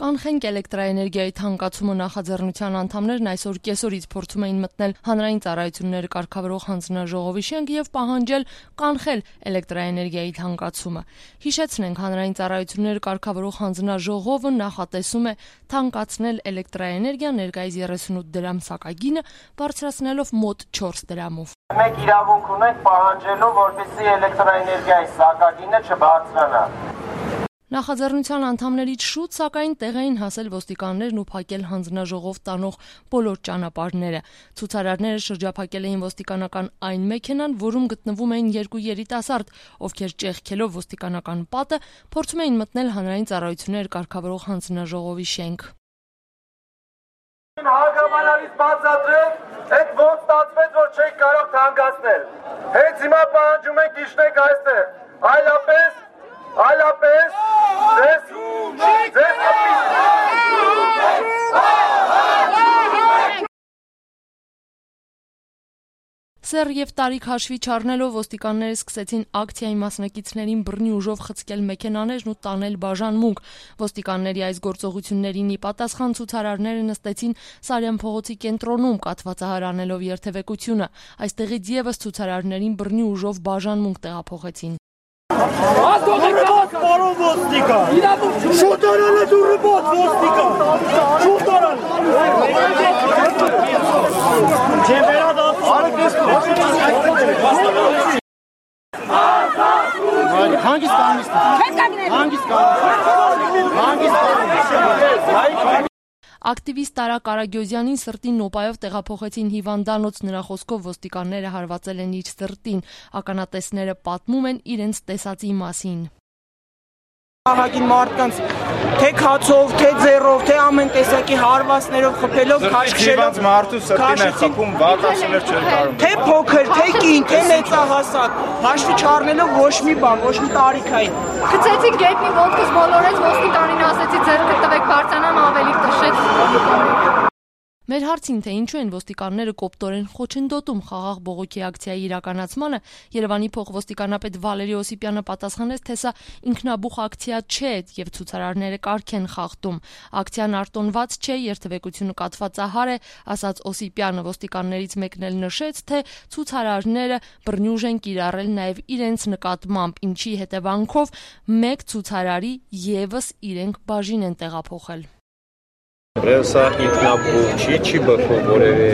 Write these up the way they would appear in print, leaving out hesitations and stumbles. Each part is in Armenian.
Կանխենք էլեկտրաէներգիայի թանկացումը նախաձեռնության անդամներն այսօր կեսօրից փորձում էին մտնել հանրային ծառայությունները կարգավորող հանձնաժողովի շենք եւ պահանջել կանխել էլեկտրաէներգիայի թանկացումը։ Հիշեցնենք, հանրային ծառայությունները կարգավորող հանձնաժողովը նախատեսում է թանկացնել էլեկտրաէներգիան ներկայիս 38 դրամ սակագինը բարձրացնելով մոտ 4 դրամով։ Մենք իրավունք ունենք պահանջելու, որպեսզի էլեկտրաէներգիայի սակագինը չբարձրանա։ Նախաձեռնության անդամներից շուտ, սակայն տեղ էին հասել ոստիկաններն ու փակել հանձնաժողով տանող բոլոր ճանապարհները։ Ցուցարարները շրջափակել էին ոստիկանական այն մեքենան, որում գտնվում էին երկու երիտասարդ, ովքեր ճեղքելով ոստիկանական պատը փորձում էին մտնել հանրային ծառայություններ կարգավորող հանձնաժողովի շենք։ Հագամանալից բացատրեք, այդ ոնց ստացվեց, որ չեք կարող թանկացնել։ Հենց հիմա պահանջում ենք իջնեք այստեղ, այլապես Սեր եւ տարիք հաշվի չառնելով ոստիկանները սկսեցին ակցիայի մասնակիցներին բռնի ուժով խցկել մեքենաներն ու տանել բաժանմունք։ Ոստիկանների այս գործողություններին ի պատասխան ցուցարարները նստեցին Սարյան փողոցի կենտրոնում կաթվածահար անելով երթևեկությունը։ Այստեղից եւս ցուցարարներին բռնի ուժով բաժանմունք տեղափոխեցին։ Ակտիվիստ Տարա Կարագյոզյանին սրտի նոպայով տեղափոխեցին հիվանդանոց, նրա խոսքով ոստիկանները հարվածել են իր սրտին, ականատեսները պատմում են իրենց տեսածի մասին։ Ահագին մարդկանց թե քացով, թե ձեռով, թե ամեն տեսակի հարվածներով խփելով, քաշքշելով մարդու սրտին է խփում, վատասներ չէր կարող։ Թե փոքր, թե կին, թե մեծահասակ, հաշվի չառնելով ոչ մի բան, ոչ մի տարիքային։ Գցեցի գետնի ոտքս բոլորեց, ոստիկանին ասեցի ձեռքը տվեք բարձրանամ ավելի տշեց։ Մեր հարցին, թե ինչու են ոստիկանները կոպտորեն խոչընդոտում խաղաղ բողոքի ակցիայի իրականացմանը, Երևանի փոխոստիկանապետ Վալերի Օսիպյանը պատասխանեց, թե սա ինքնաբուխ ակցիա չէ եւ ցուցարարները կարգ են խախտում։ Ակցիան արտոնված չէ, երթևեկությունը կաթվածահար է, ասաց Օսիպյանը, ոստիկաններից մեկն էլ նշեց, թե ցուցարարները բռնյուժ են կիրառել նաեւ իրենց նկատմամբ, ինչի հետևանքով մեկ ցուցարարի եւս իրենք բաժին են տեղափոխել։ Սա ինքնաբուխ չի բխում որևէ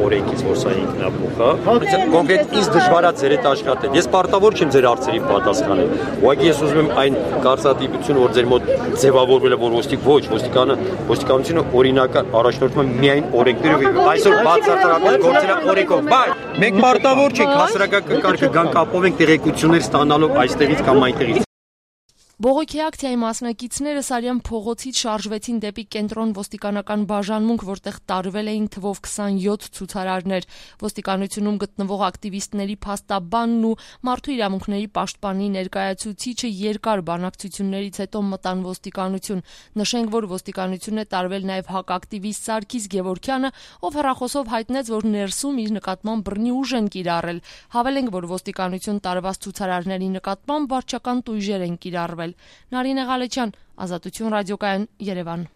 օրենքից, որ սա ինքնաբուխ է։ Կոնկրետ ինձ դժվար է ձեր հետ աշխատել։ Ես պարտավոր չեմ ձեր հարցերին պատասխանել։ Ուղղակի ես ուզում եմ այն կարծրատիպությունը, որ ձեր մոտ ձևավորվել է, որ ոստիկանությունը օրինական առաջնորդվում է միայն օրենքներով, այսօր բացարձակապես գործել է օրենքով։ Բայց մենք պարտավոր չենք հասարակական կարգը գանք ապովենք տեղեկություններ ստանալով այստեղից կամ այնտեղից։ Բողոքի ակցիայի մասնակիցները Սարյան փողոցից շարժվեցին դեպի կենտրոն ոստիկանական բաժանմունք, որտեղ տարվել էին թվով 27 ցուցարարներ։ Ոստիկանությունում գտնվող ակտիվիստների փաստաբանն ու մարդու իրավունքների պաշտպանի ներկայացուցիչը երկար բանակցություններից հետո մտան ոստիկանություն։ Նշենք, որ ոստիկանություն է տարվել նաև հակակտիվիստ Սարգիս Գևորգյանը, ով հեռախոսով հայտնեց, որ ներսում իր նկատմամբ բռնի ուժ են կիրառել։ Հավելենք, որ ոստիկանություն տարված ցուցարարների նկատմամբ վարչական տույժեր են կիրառվել։ Նարինե Ղալեչյան, Ազատություն ռադիոկայան, Երևան։